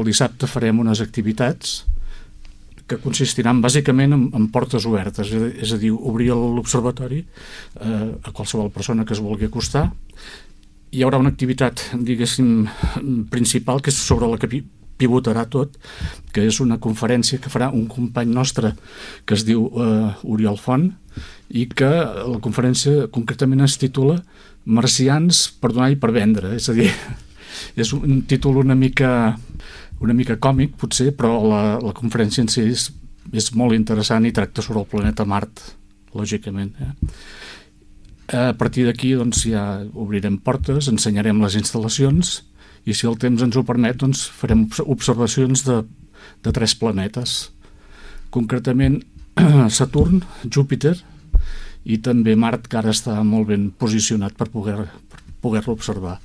el dissabte farem unes activitats que consistiran bàsicament en portes obertes, és a dir, obrir l'observatori a qualsevol persona que es vulgui acostar. Hi haurà una activitat, diguéssim, principal, que és sobre la que pivotarà tot, que és una conferència que farà un company nostre que es diu Oriol Font, i que la conferència concretament es titula Marcians per donar i per vendre, és a dir, és un títol una mica còmic potser, però la conferència en si és molt interessant i tracta sobre el planeta Mart, lògicament. A partir d'aquí doncs, ja obrirem portes, ensenyarem les instal·lacions i si el temps ens ho permet doncs, farem observacions de 3 planetes, concretament Saturn, Júpiter i també Mart, que ara està molt ben posicionat per poder-lo observar.